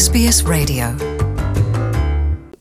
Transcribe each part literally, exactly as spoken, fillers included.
S B S Radio.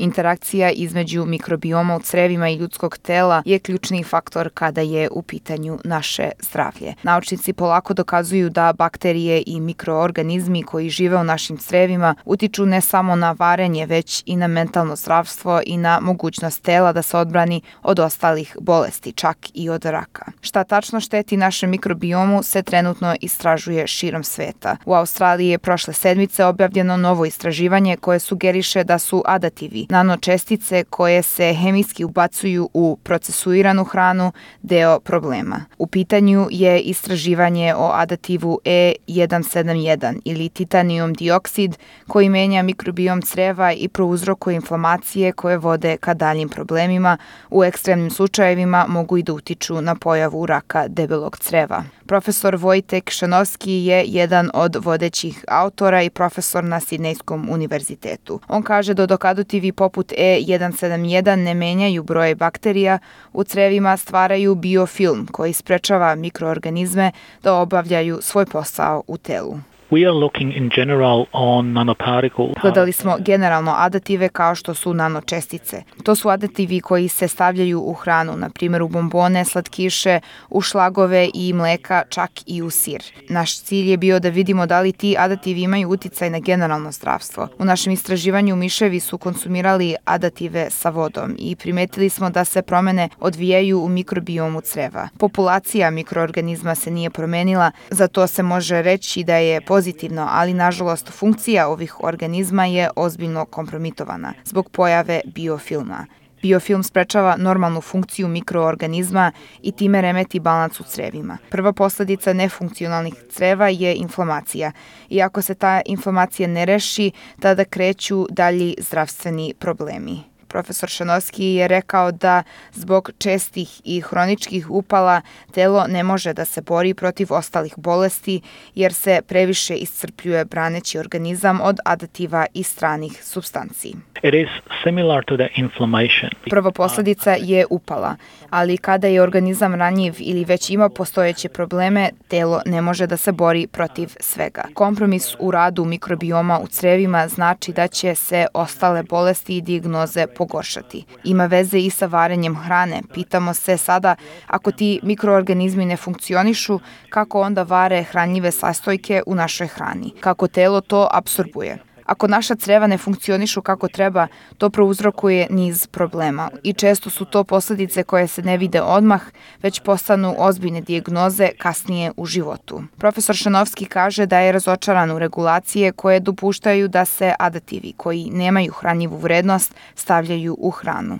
Interakcija između mikrobioma u crevima i ljudskog tela je ključni faktor kada je u pitanju naše zdravlje. Naučnici polako dokazuju da bakterije i mikroorganizmi koji žive u našim crevima utiču ne samo na varenje, već i na mentalno zdravstvo i na mogućnost tela da se odbrani od ostalih bolesti, čak i od raka. Šta tačno šteti našem mikrobiomu se trenutno istražuje širom sveta. U Australiji je prošle sedmice objavljeno novo istraživanje koje sugeriše da su adativi, nanočestice koje se hemijski ubacuju u procesuiranu hranu, deo problema. U pitanju je istraživanje o adativu E jedan sedam jedan ili titanijum dioksid koji menja mikrobiom creva i prouzrokuje inflamacije koje vode ka daljim problemima. U ekstremnim slučajevima mogu i da utiču na pojavu raka debelog creva. Profesor Vojtek Šanovski je jedan od vodećih autora i profesor na Sidnejskom univerzitetu. On kaže da dok adativi poput E jedan sedam jedan ne menjaju broj bakterija, u crevima stvaraju biofilm koji sprečava mikroorganizme da obavljaju svoj posao u telu. We are looking in general on nanoparticles. Gledali smo generalno adative kao što su nanočestice. To su adativi koji se stavljaju u hranu, na primjer u bombone, slatkiše, u šlagove i mleka, čak i u sir. Naš cilj je bio da vidimo da li ti adativi imaju uticaj na generalno zdravstvo. U našem istraživanju miševi su konsumirali adative sa vodom i primetili smo da se promene odvijaju u mikrobiomu creva. Populacija mikroorganizma se nije promenila, zato se može reći da je pozitivno, ali nažalost funkcija ovih organizma je ozbiljno kompromitovana zbog pojave biofilma. Biofilm sprečava normalnu funkciju mikroorganizma i time remeti balans u crevima. Prva posljedica nefunkcionalnih creva je inflamacija. I ako se ta inflamacija ne reši, tada kreću dalji zdravstveni problemi. Profesor Šanovski je rekao da zbog čestih i hroničkih upala telo ne može da se bori protiv ostalih bolesti jer se previše iscrpljuje braneći organizam od adativa i stranih supstanci. It is similar to the inflammation. Prva posljedica je upala, ali kada je organizam ranjiv ili već ima postojeće probleme, telo ne može da se bori protiv svega. Kompromis u radu mikrobioma u crevima znači da će se ostale bolesti i dijagnoze pogoršati. Ima veze i sa varenjem hrane. Pitamo se sada, ako ti mikroorganizmi ne funkcionišu, kako onda vare hranljive sastojke u našoj hrani? Kako telo to apsorbuje? Ako naša creva ne funkcionišu kako treba, to prouzrokuje niz problema i često su to posljedice koje se ne vide odmah, već postanu ozbiljne dijagnoze kasnije u životu. Profesor Šanovski kaže da je razočaran u regulacije koje dopuštaju da se adativi koji nemaju hranjivu vrednost stavljaju u hranu.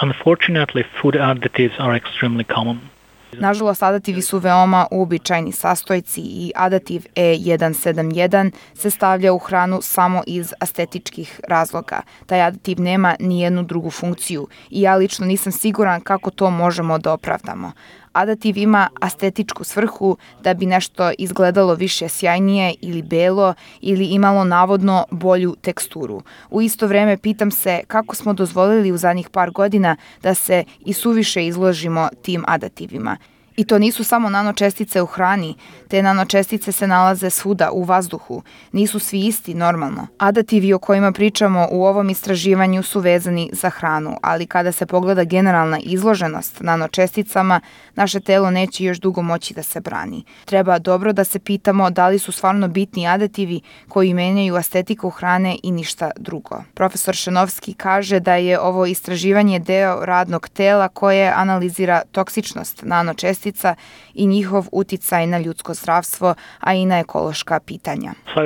Unfortunately, food additives are extremely common. Nažalost, adativi su veoma uobičajeni sastojci i adativ E jedan sedam jedan se stavlja u hranu samo iz estetičkih razloga. Taj aditiv nema ni jednu drugu funkciju i ja lično nisam siguran kako to možemo da opravdamo. Adativ ima estetičku svrhu da bi nešto izgledalo više sjajnije ili belo ili imalo navodno bolju teksturu. U isto vrijeme pitam se kako smo dozvolili u zadnjih par godina da se i suviše izložimo tim adativima. I to nisu samo nanočestice u hrani, te nanočestice se nalaze svuda u vazduhu. Nisu svi isti normalno. Adativi o kojima pričamo u ovom istraživanju su vezani za hranu, ali kada se pogleda generalna izloženost nanočesticama, naše telo neće još dugo moći da se brani. Treba dobro da se pitamo da li su stvarno bitni adativi koji menjaju estetiku hrane i ništa drugo. Profesor Šanovski kaže da je ovo istraživanje deo radnog tela koje analizira toksičnost nanočestica i njihov uticaj na ljudsko zdravstvo, a i na ekološka pitanja. So,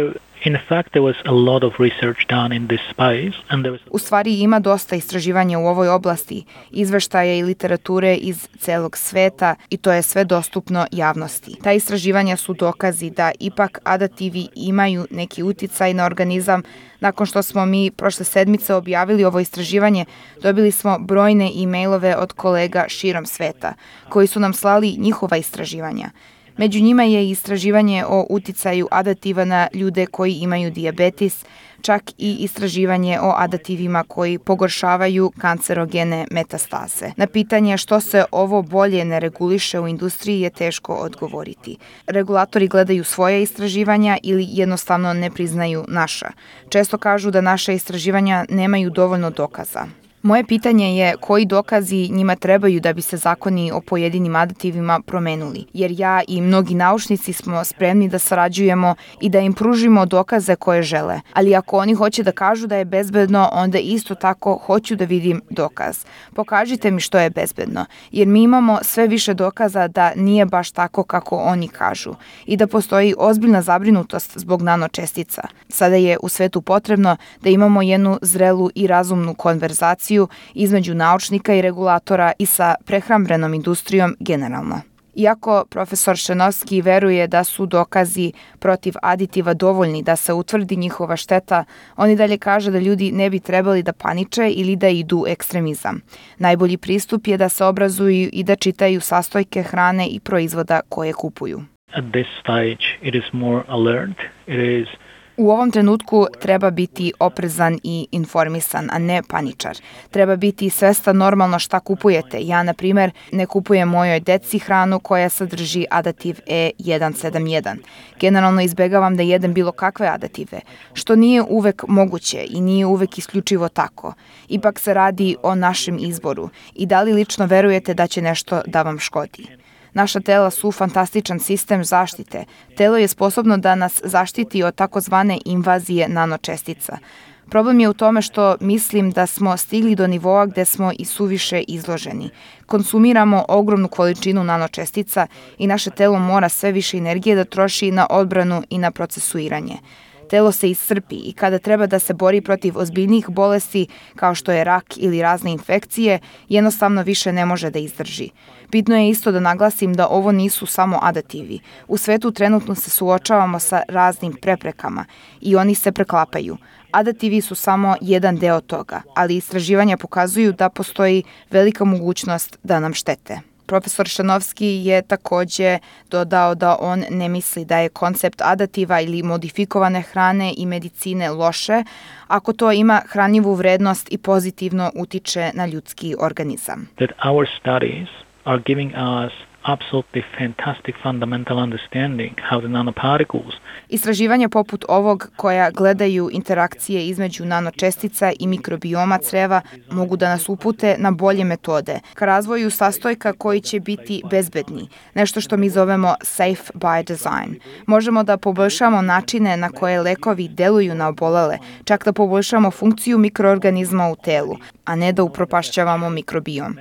in fact, there was a lot of research done in this space, and there was... U stvari ima dosta istraživanja u ovoj oblasti, izveštaja i literature iz celog sveta i to je sve dostupno javnosti. Ta istraživanja su dokazi da ipak adativi imaju neki uticaj na organizam. Nakon što smo mi prošle sedmice objavili ovo istraživanje, dobili smo brojne e-mailove od kolega širom sveta koji su nam slali njihova istraživanja. Među njima je i istraživanje o uticaju adativa na ljude koji imaju dijabetes, čak i istraživanje o adativima koji pogoršavaju kancerogene metastaze. Na pitanje što se ovo bolje ne reguliše u industriji je teško odgovoriti. Regulatori gledaju svoje istraživanja ili jednostavno ne priznaju naša. Često kažu da naša istraživanja nemaju dovoljno dokaza. Moje pitanje je koji dokazi njima trebaju da bi se zakoni o pojedinim aditivima promenuli, jer ja i mnogi naučnici smo spremni da sarađujemo i da im pružimo dokaze koje žele. Ali ako oni hoće da kažu da je bezbedno, onda isto tako hoću da vidim dokaz. Pokažite mi što je bezbedno, jer mi imamo sve više dokaza da nije baš tako kako oni kažu i da postoji ozbiljna zabrinutost zbog nanočestica. Sada je u svetu potrebno da imamo jednu zrelu i razumnu konverzaciju između naučnika i regulatora i sa prehrambenom industrijom generalno. Iako profesor Šenovski veruje da su dokazi protiv aditiva dovoljni da se utvrdi njihova šteta, on i dalje kaže da ljudi ne bi trebali da paniče ili da idu u ekstremizam. Najbolji pristup je da se obrazuju i da čitaju sastojke hrane i proizvoda koje kupuju. At this stage it is more alert. It is U ovom trenutku treba biti oprezan i informisan, a ne paničar. Treba biti svestan normalno šta kupujete. Ja, na primer, ne kupujem mojoj deci hranu koja sadrži adativ E jedan sedam jedan. Generalno izbegavam da jedem bilo kakve adative, što nije uvek moguće i nije uvek isključivo tako. Ipak se radi o našem izboru i da li lično verujete da će nešto da vam škodi. Naša tela su fantastičan sistem zaštite. Telo je sposobno da nas zaštiti od takozvane invazije nanočestica. Problem je u tome što mislim da smo stigli do nivoa gde smo i suviše izloženi. Konsumiramo ogromnu količinu nanočestica i naše telo mora sve više energije da troši na odbranu i na procesuiranje. Telo se iscrpi i kada treba da se bori protiv ozbiljnijih bolesti kao što je rak ili razne infekcije, jednostavno više ne može da izdrži. Bitno je isto da naglasim da ovo nisu samo adativi. U svetu trenutno se suočavamo sa raznim preprekama i oni se preklapaju. Adativi su samo jedan deo toga, ali istraživanja pokazuju da postoji velika mogućnost da nam štete. Profesor Šenovski je takođe dodao da on ne misli da je koncept adativa ili modifikovane hrane i medicine loše, ako to ima hranjivu vrednost i pozitivno utiče na ljudski organizam. That our studies are giving us absolutely fantastic fundamental understanding how the nanoparticles. Istraživanja poput ovog koja gledaju interakcije između nanočestica i mikrobioma creva mogu da nas upute na bolje metode ka razvoju sastojka koji će biti bezbedni, nešto što mi zovemo safe by design. Možemo da poboljšamo načine na koje lekovi deluju na obolele, čak da poboljšamo funkciju mikroorganizma u telu, a ne da upropašćavamo mikrobiom.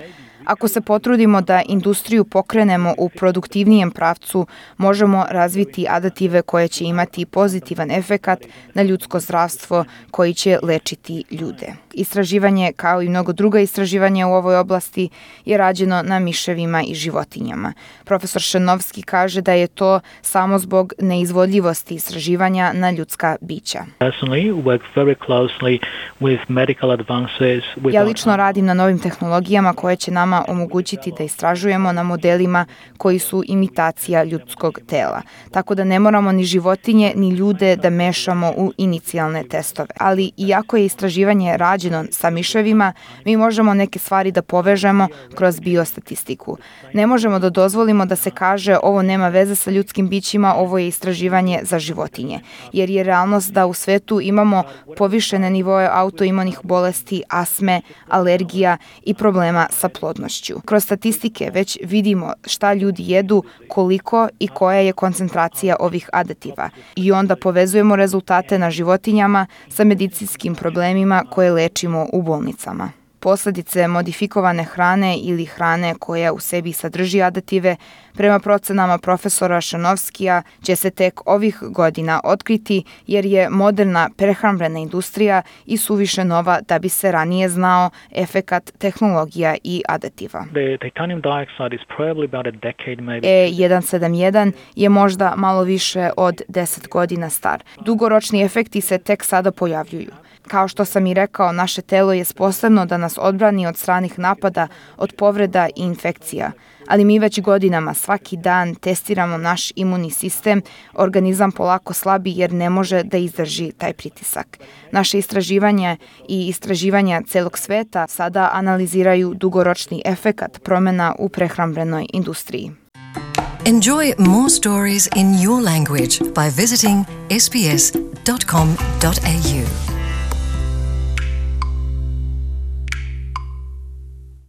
Ako se potrudimo da industriju pokrenemo u produktivnijem pravcu, možemo razviti adative koje će imati pozitivan efekat na ljudsko zdravstvo koji će lečiti ljude. Istraživanje, kao i mnogo druga istraživanja u ovoj oblasti, je rađeno na miševima i životinjama. Profesor Šenovski kaže da je to samo zbog neizvodljivosti istraživanja na ljudska bića. Ja lično radim na novim tehnologijama koje će nama omogućiti da istražujemo na modelima koji su imitacija ljudskog tela. Tako da ne moramo ni životinje ni ljude da mešamo u inicijalne testove. Ali iako je istraživanje rađeno sa miševima, mi možemo neke stvari da povežemo kroz biostatistiku. Ne možemo da dozvolimo da se kaže ovo nema veze sa ljudskim bićima, ovo je istraživanje za životinje. Jer je realnost da u svetu imamo povišene nivoe autoimunih bolesti, astme, alergija i problema sa plodnošću. Kroz statistike već vidimo šta ljudi jedu, koliko i koja je koncentracija ovih adativa. I onda povezujemo rezultate na životinjama sa medicinskim problemima koje lečimo u bolnicama. Posledice modifikovane hrane ili hrane koja u sebi sadrži adative, prema procenama profesora Šenovskija, će se tek ovih godina otkriti jer je moderna prehrambena industrija i suviše nova da bi se ranije znao efekat tehnologija i adativa. E jedan sedam jedan je možda malo više od deset godina star. Dugoročni efekti se tek sada pojavljuju. Kao što sam i rekao, naše telo je sposobno da nas odbrani od stranih napada, od povreda i infekcija. Ali mi već godinama svaki dan testiramo naš imunni sistem, organizam polako slabi jer ne može da izdrži taj pritisak. Naše istraživanja i istraživanja celog sveta sada analiziraju dugoročni efekat promjena u prehrambenoj industriji. Enjoy more stories in your language by visiting s b s dot com dot a u.